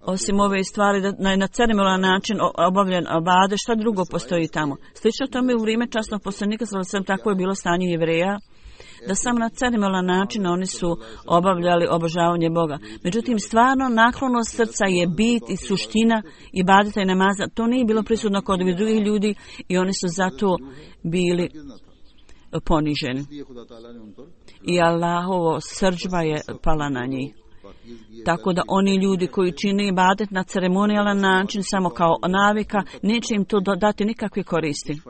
[SPEAKER 3] osim ove stvari, da na, na ceremonijalan način obavljen obade, šta drugo postoji tamo. Slično tome u vrijeme časnog poslanika, sam tako je bilo stanje Jevreja, da samo na ceremonijalan način oni su obavljali obožavanje Boga. Međutim, stvarno naklonost srca je bit i suština ibadeta i namaza. To nije bilo prisutno kod ovih drugih ljudi i oni su zato bili poniženi. I Allahovo srdžba je pala na njih. Tako da oni ljudi koji čine ibadet na ceremonijalan način samo kao navika, neće im to dati nikakve koristi.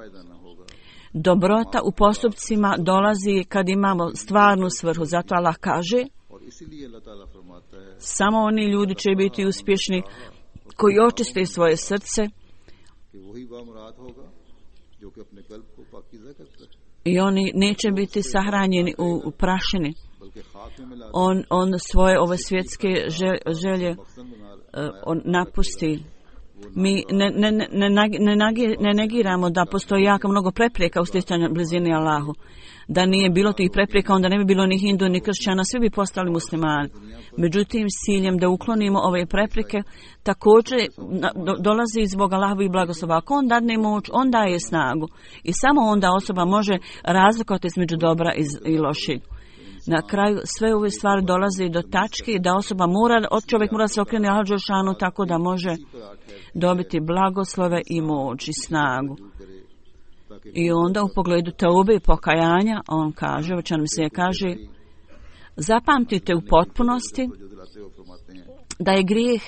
[SPEAKER 3] Dobrota u postupcima dolazi kad imamo stvarnu svrhu. Zato Allah kaže, samo oni ljudi će biti uspješni koji očiste svoje srce i oni neće biti sahranjeni u, u prašini. On, on svoje ove svjetske želje uh, on napusti. Mi ne, ne, ne, ne, ne negiramo da postoji jako mnogo prepreka u sticanju blizini Allahu. Da nije bilo tih prepreka, onda ne bi bilo ni hindu, ni kršćana, svi bi postali muslimani. Međutim, s ciljem da uklonimo ove prepreke, također do, dolazi zbog Allahovih blagoslova. Ako on dadne moć, on daje snagu. I samo onda osoba može razlikovati između dobra i, i lošeg. Na kraju sve ove stvari dolaze do tačke da osoba mora, od čovjek mora se okrenuti Allahu dželešanu tako da može dobiti blagoslove i moć i snagu. I onda u pogledu teube i pokajanja on kaže, učan mi se kaže, zapamtite u potpunosti da je grijeh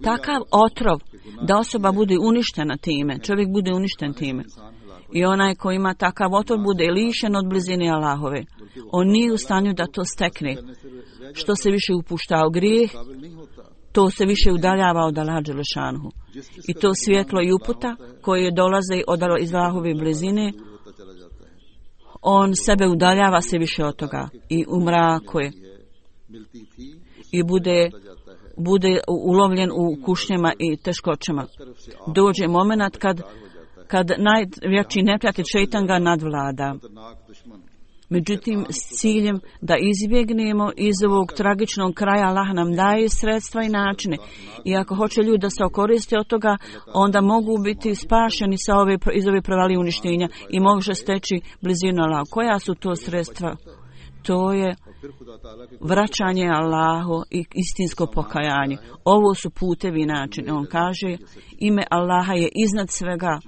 [SPEAKER 3] takav otrov da osoba bude uništena time, čovjek bude uništen time. I onaj ko ima takav otrov bude lišen od blizine Allahove. On nije u stanju da to stekne. Što se više upušta u grijeh, to se više udaljava od Allaha dželešanu. I to svjetlo i uputa koje dolaze od iz Allahove blizine, on sebe udaljava se više od toga i u mraku je. I bude, bude ulovljen u kušnjama i teškoćama. Dođe moment kad, kad najveći neprijatelj šejtan ga nadvlada. Međutim, s ciljem da izbjegnemo iz ovog tragičnog kraja, Allah nam daje sredstva i načine. I ako hoće ljudi da se okoriste od toga, onda mogu biti spašeni sa ove, iz ove provalije uništenja i može steći blizinu Allaha. Koja su to sredstva? To je vraćanje Allahu i istinsko pokajanje. Ovo su putevi i načini. On kaže, ime Allaha je iznad svega.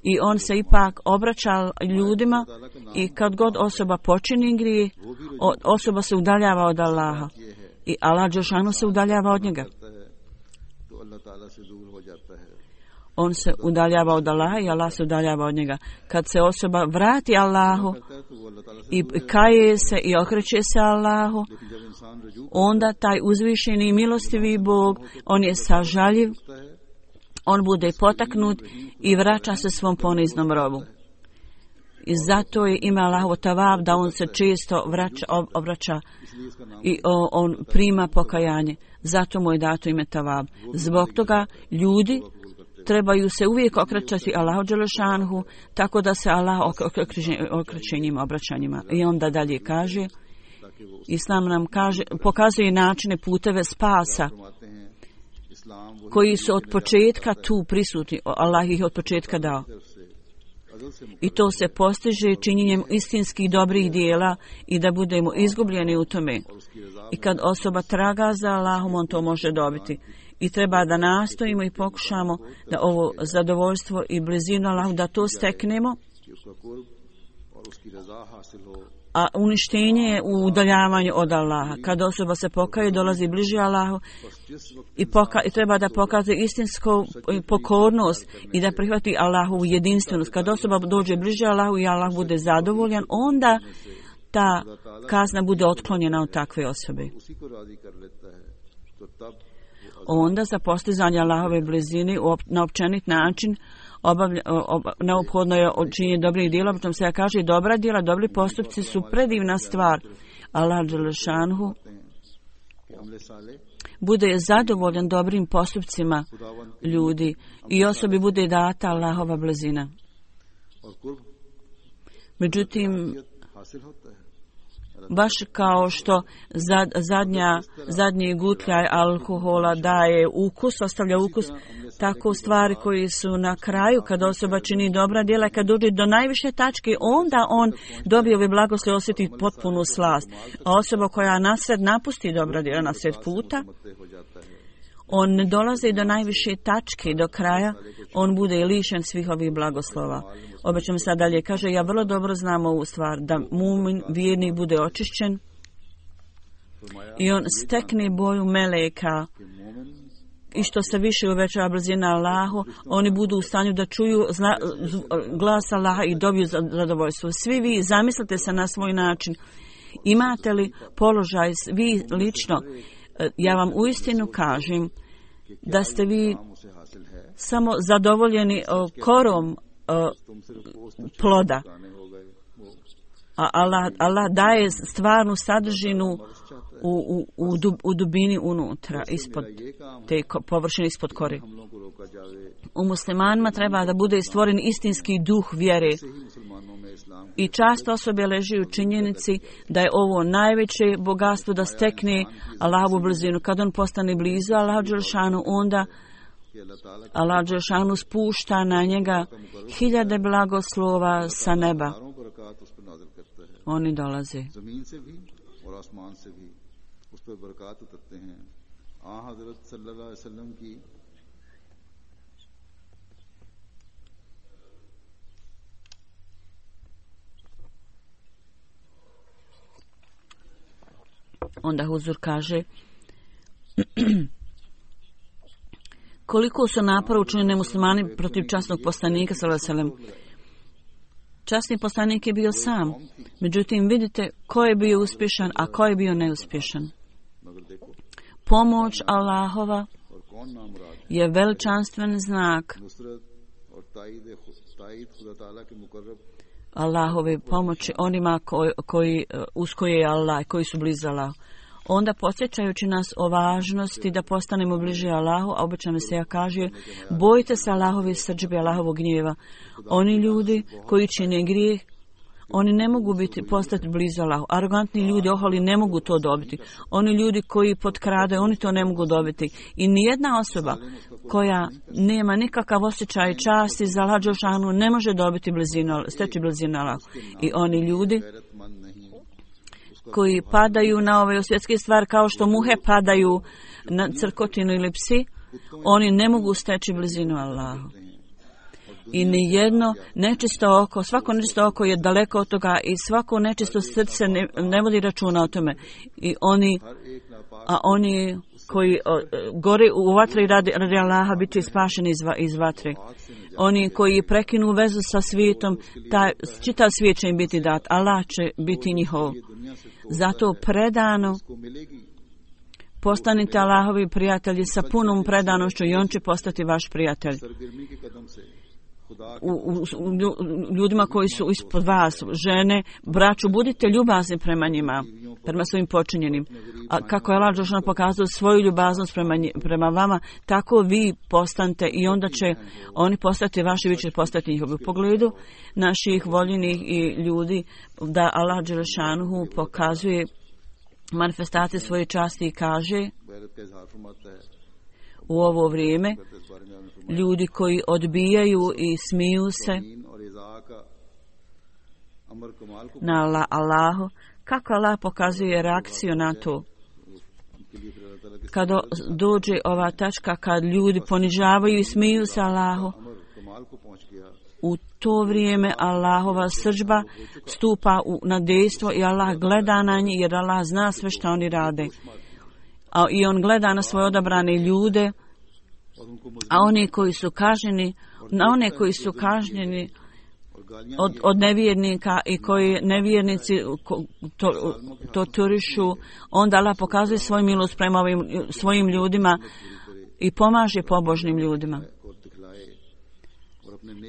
[SPEAKER 3] I on se ipak obraća ljudima i kad god osoba počini grijeh, osoba se udaljava od Allaha. I Allah dželešanu se udaljava od njega. On se udaljava od Allaha i Allah se udaljava od njega. Kad se osoba vrati Allahu i kaje se i okreće se Allahu, onda taj uzvišeni milostivi Bog, on je sažaljiv, on bude potaknut i vraća se svom poniznom robu. I zato je ime Allahovo Tavab da on se često vraća, obraća i on prima pokajanje. Zato mu je dato ime Tavab. Zbog toga ljudi trebaju se uvijek okrećati Allahu dželešanhu, tako da se Allah okreće njima obraćanjima. I onda dalje kaže, Islam nam kaže, pokazuje načine, puteve spasa koji su od početka tu prisutni. Allah ih od početka dao. I to se postiže činjenjem istinskih dobrih dijela i da budemo izgubljeni u tome. I kad osoba traga za Allahom, on to može dobiti. I treba da nastojimo i pokušamo da ovo zadovoljstvo i blizinu Allahu, da to steknemo. A uništenje je u udaljavanju od Allaha. Kad osoba se pokaje, dolazi bliže Allahu i, poka- i treba da pokaže istinsku pokornost i da prihvati Allahovu jedinstvenost. Kad osoba dođe bliže Allahu i Allah bude zadovoljan, onda ta kazna bude otklonjena od takve osobe. Onda za postizanje Allahove blizine na općenit način Obavlja, ob, neophodno je činjenje dobrih djela, potom se kaže dobra djela, dobri postupci su predivna stvar. Allah dželešanhu bude zadovoljan dobrim postupcima ljudi i osobi bude data Allahova blizina. Međutim, baš kao što zad, zadnja, zadnji gutljaj alkohola daje ukus, ostavlja ukus, tako stvari koji su na kraju, kad osoba čini dobra djela, kad dođe do najviše tačke, onda on dobije ove blagoslove, osjeti potpunu slast. A osoba koja nasred napusti dobra djela na sred puta, on ne dolazi do najviše tačke, do kraja, on bude lišen svih ovih blagoslova. Obećam sad dalje, kaže, ja vrlo dobro znam ovu stvar, da mumin, vjernik, bude očišćen i on stekne boju meleka i što se više uvećava brzina Allahu, oni budu u stanju da čuju zna, glas Allaha i dobiju zadovoljstvo. Svi vi zamislite se na svoj način. Imate li položaj, vi lično, ja vam uistinu kažem da ste vi samo zadovoljeni korom ploda. A Allah, Allah daje stvarnu sadržinu u, u, u, dub, u dubini unutra, ispod te površine, ispod kore. U muslimanima treba da bude stvoren istinski duh vjere. I čast osobe leži u činjenici da je ovo najveće bogatstvo da stekne Allahovu blizinu. Kad on postane blizu Allahu dželešanu, onda Allah dželešanu spušta na njega hiljade blagoslova sa neba. Oni dolaze. Onda Huzur kaže koliko su napora učinili muslimani protiv časnog poslanika sallallahu alejhi ve sellem. Časni poslanik je bio sam. Međutim, vidite ko je bio uspješan, a ko je bio neuspješan. Pomoć Allahova je veličanstven znak Allahove pomoći onima koji, koji, uz koje je Allah, koji su blizu Allahu. Onda podsjećajući nas o važnosti da postanemo bliži Allahu, a obećano se ja kaže, bojte se Allahove srdžbe, Allahovog gnjeva. Oni ljudi koji čine grijeh, oni ne mogu biti postati blizu Allahu. Arogantni ljudi, oholi, ne mogu to dobiti. Oni ljudi koji potkrade, oni to ne mogu dobiti. I nijedna osoba koja nema nikakav osjećaj časti za Allah dželešanu ne može dobiti blizinu, steći blizinu Allahu. I oni ljudi koji padaju na ove svjetske stvari kao što muhe padaju na crkotinu ili psi, oni ne mogu steći blizinu Allahu. I nijedno nečisto oko, svako nečisto oko je daleko od toga i svako nečisto srce ne, ne vodi računa o tome. I oni, a oni koji o, gore u vatri radi, radi Allaha bit će spašeni iz, iz vatre. Oni koji prekinu vezu sa svijetom, taj, čitav svijet će im biti dat, Allah će biti njihov. Zato predano postanite Allahovi prijatelji sa punom predanošću i on će postati vaš prijatelj. U, u, u ljudima koji su ispod vas, žene, braću, budite ljubazni prema njima, prema svojim počinjenim. A kako je Allah dželešanu pokazao svoju ljubaznost prema, prema vama, tako vi postanete i onda će oni postati vaši, vi će postati njihovi. U pogledu naših voljenih i ljudi, da Allah dželešanu pokazuje manifestacije svoje časti i kaže u ovo vrijeme ljudi koji odbijaju i smiju se na Allahu, kako Allah pokazuje reakciju na to. Kada dođe ova tačka kad ljudi ponižavaju i smiju se Allahu, u to vrijeme Allahova srdžba stupa u, na dejstvo i Allah gleda na njih jer Allah zna sve što oni rade. A, i on gleda na svoje odabrane ljude, a oni koji su kažnjeni, na one koji su kažnjeni od, od nevjernika i koji nevjernici to, to turišu, onda Allah pokazuje svoju milost prema ovim svojim ljudima i pomaže pobožnim ljudima.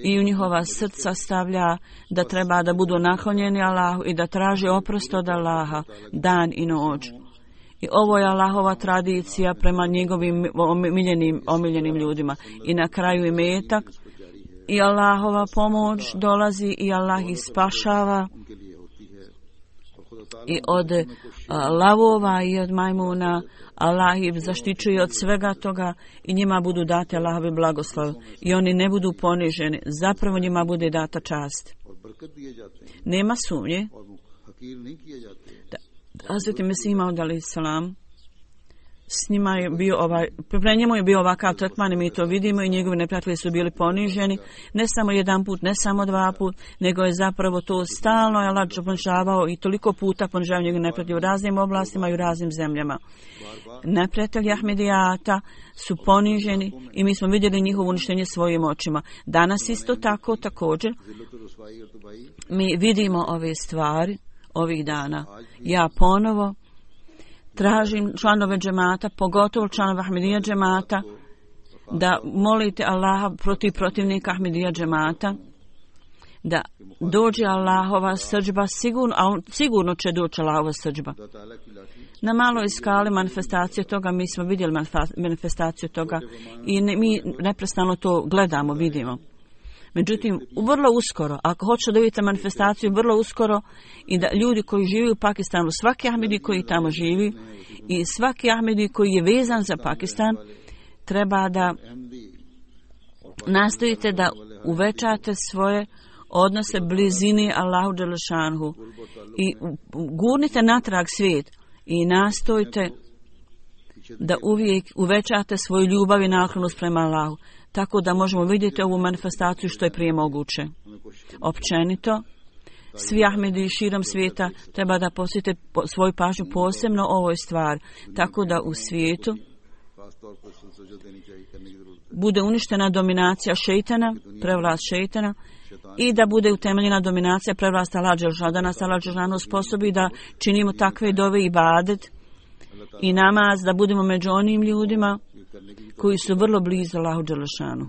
[SPEAKER 3] I u njihova srca stavlja da treba da budu naklonjeni Allahu i da traže oprost od Allaha dan i noć. I ovo je Allahova tradicija prema njegovim omiljenim, omiljenim ljudima. I na kraju imetak i Allahova pomoć dolazi i Allah ih spašava i od a, lavova i od majmuna. Allah ih zaštićuje od svega toga i njima budu date Allahove blagoslove i oni ne budu poniženi. Zapravo njima bude data čast. Nema sumnje da Hazreti Mesih Maud alejhi selam s njima je bio ovaj, pre njemu je bio ovakav tretman i mi to vidimo i njegovi neprijatelji su bili poniženi, ne samo jedan put, ne samo dva put, nego je zapravo to stalno je Allah ponižavao i toliko puta ponižavao njegovi neprijatelji u raznim oblastima i u raznim zemljama. Neprijatelji Ahmedijata su poniženi i mi smo vidjeli njihovo uništenje svojim očima. Danas isto tako, također, mi vidimo ove stvari ovih dana. Ja ponovo tražim članove džemata, pogotovo članove Ahmedija džemata, da molite Allaha protiv protivnika Ahmedija džemata, da dođe Allahova srdžba, sigurno, a sigurno će doći Allahova srdžba. Na maloj skali manifestacije toga, mi smo vidjeli manifestaciju toga i ne, mi neprestano to gledamo, vidimo. Međutim, vrlo uskoro, ako hoćete da vidite manifestaciju, vrlo uskoro i da ljudi koji žive u Pakistanu, svaki Ahmedi koji tamo živi i svaki Ahmedi koji je vezan za Pakistan, treba da nastojite da uvećate svoje odnose blizini Allahu dželešanhu i gurnite natrag svijet i nastojite da uvijek uvećate svoju ljubav i naklonost prema Allahu, tako da možemo vidjeti ovu manifestaciju što je prije moguće. Općenito, svi Ahmedi širom svijeta treba da posvete svoju pažnju posebno ovoj stvari, tako da u svijetu bude uništena dominacija šeitana, prevlast šeitana, i da bude utemeljena dominacija prevlasta Allah dželešanu, da nas Allah dželešanu sposobi da činimo takve dove i ibadet i namaz, da budemo među onim ljudima koji su vrlo blizu Allahu dželešanu.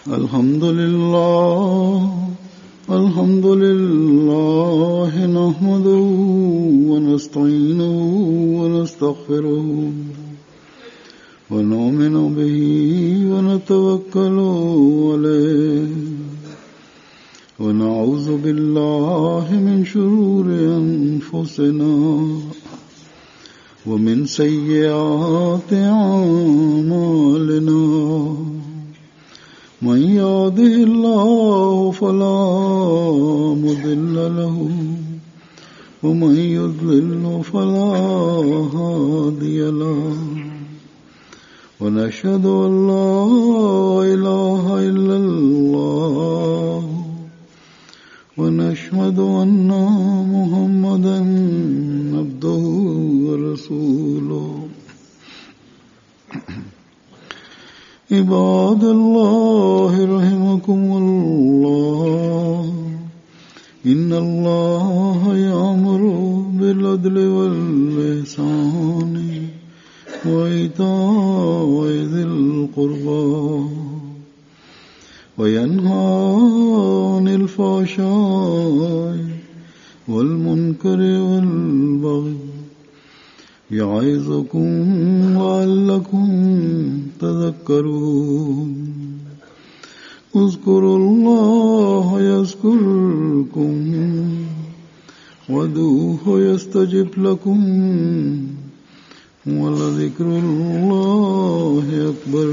[SPEAKER 2] Alhamdulillah, alhamdulillah, nahmaduhu wa nasta'inuhu wa nastaghfiruhu wa nu'minu bihi wa natawakkalu alayhi wa na'udhu billahi min shururi anfusina wa min sayyiati a'malina. من يهده الله فلا مضل له ومن يضلل فلا هادي له ونشهد أن لا إله إلا الله ونشهد أن محمدا عبده ورسوله. عباد الله رحمكم الله إن الله يأمر بالعدل والإحسان وإيتاء ذي القربى وينهى عن الفحشاء والمنكر والبغي يعظكم لعلكم تذكرون. اذكروا الله يذكركم وادعوه يستجب لكم ولذكر الله أكبر.